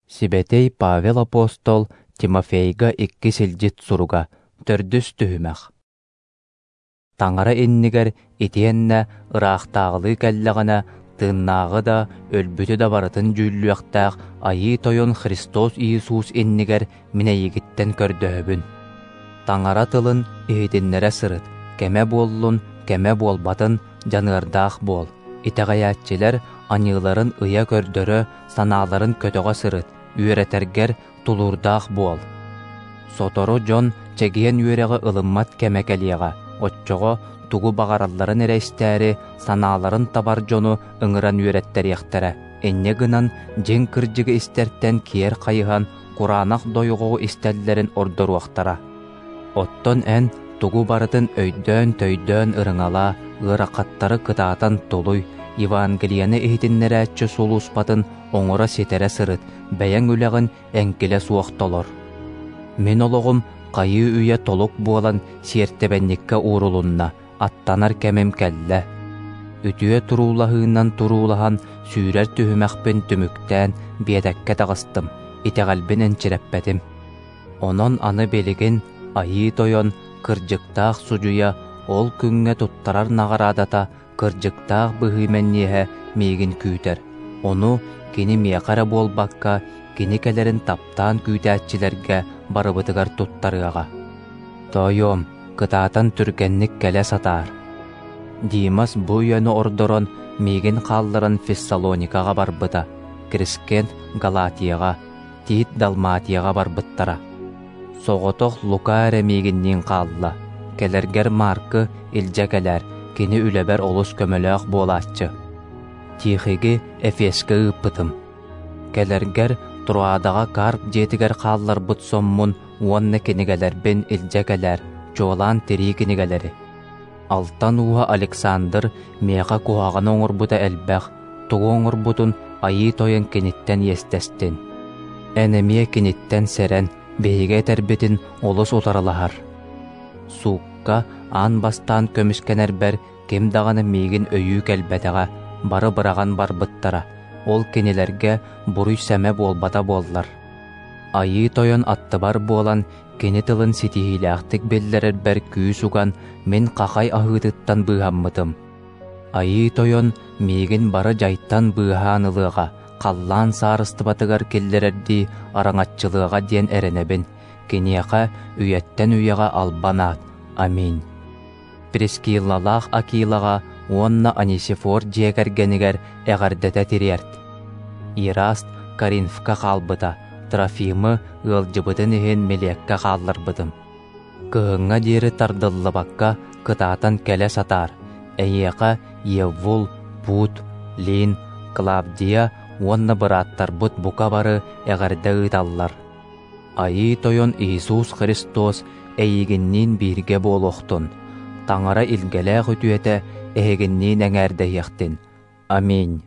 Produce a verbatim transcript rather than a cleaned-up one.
Сибэтиэй Павел апостол Тимофейга иккис илдьит суруга, төрдүс түһүмэх. Таҥара иннигэр итиэннэ ыраахтааҕылыы кэллэҕинэ, тыыннааҕы да, өлбүтү да барытын дьүүллүөхтээх Айыы Тойон Христос Иисус иннигэр мин эйигиттэн көрдөһөбүн. Таҥара тылын иһитиннэрэ сырыт, кэмэ буоллун, кэмэ буолбатын, дьаныардаах буол. Итэҕэйээччилэр аньыыларын ыйа көрдөрө, санааларын көтөҕө сырыт, үөрэтэргэр тулуурдаах буол. Сотору дьон чэгиэн үөрэҕи ылыммат кэмэ кэлиэҕэ, оччоҕо тугу баҕаралларын эрэ истээри, санааларын табар дьону ыҥыран үөрэттэриэхтэрэ. Инньэ гынан дьиҥ кырдьыгы истэртэн киэр хайыһан, кураанах дойҕоҕу истэллэрин ордоруохтара. Оттон эн тугу барытын өйдөөн-төйдөөн ырыҥалаа, ыарахаттары кытаатан тулуй, Евангелиены иһитиннэрээччи сулууспатын оҥоро-ситэрэ сырыт, бэйэҥ үлэҕин эҥкилэ суох толор. Мин олоҕум хайыы-үйэ толук буолан сиэртибэнньиккэ уурулунна, аттанар кэмим кэллэ. Үтүө туруулаһыынан туруулаһан, сүүрэр түһүмэхпин түмүктээн биэтэккэ таҕыстым, итэҕэлбин энчирэппэтим. Онон аны билигин Айыы Тойон, кырдьыктаах судьуйа, ол күҥҥэ туттарар наҕараадата, кырдьыктаах быһыы мэнниэһэ миигин күүтэр. Ону кини миэхэ эрэ буолбакка, кини кэлэрин таптаан күүтээччилэргэ барыбытыгар туттарыаҕа. Тоойуом, кытаатан түргэнник кэлэ сатаар. Димас бу үйэни ордорон, миигин хаалларан Фессалоникаҕа барбыта, Крискент Галатияҕа, Тит Далматияҕа барбыттара. Соҕотох Лука эрэ миигинниин хаалла. Кэлэргэр Маркы илдьэ кэлээр, кини үлэбэр олус көмөлөөх буолааччы. Тихиги Эфескэ ыыппытым. Кэлэргэр Троадаҕа Карп дьиэтигэр хаалларбыт соммун уонна кинигэлэрбин илдьэ кэлээр, чуолаан тирии кинигэлэри. Алтан ууһа Александр миэхэ куһаҕаны оҥорбута элбэх, тугу оҥорбутун Айыы Тойон киниттэн иэстэстин. Эн эмиэ киниттэн сэрэн, биһиги этэрбитин олус утарылаһар. Суукка аан бастаан көмүскэнэрбэр ким даҕаны миигин өйүү кэлбэтэҕэ, бары быраҕан барбыттара, ол кинилэргэ буруй-сэмэ буолбата буоллар. Айыы Тойон аттыбар буолан, кини тылын ситиһиилээхтик биллэрэрбэр күүс уган, мин хахай аһыытыттан быыһаммытым. Айыы Тойон миигин бары дьайтан быыһаан ылыаҕа, халлаан саарыстыбатыгар киллэрэрдии араҥаччылыаҕа диэн эрэнэбин, киниэхэ үйэттэн үйэҕэ албан аат. Аминь. Прискиллалаах Акилаҕа уонна Анисифор дьиэ кэргэнигэр эҕэрдэтэ тириэрт. Ираст Коринфка хаалбыта, Трофимы ыалдьыбытын иһин Милеккэ хаалларбытым. Кыһыҥҥа диэри тардыллыбакка кытаатан кэлэ сатаар. Эйиэхэ Еввул, Пут, Лин, Клавдия уонна бырааттарбыт бука бары эҕэрдэ ыыталлар. Айыы Тойон Иисус Христос эйигинниин бииргэ буолуохтун. Таҥара илгэлээх үтүөтэ эһигинниин эҥээрдэһиэхтин. Аминь.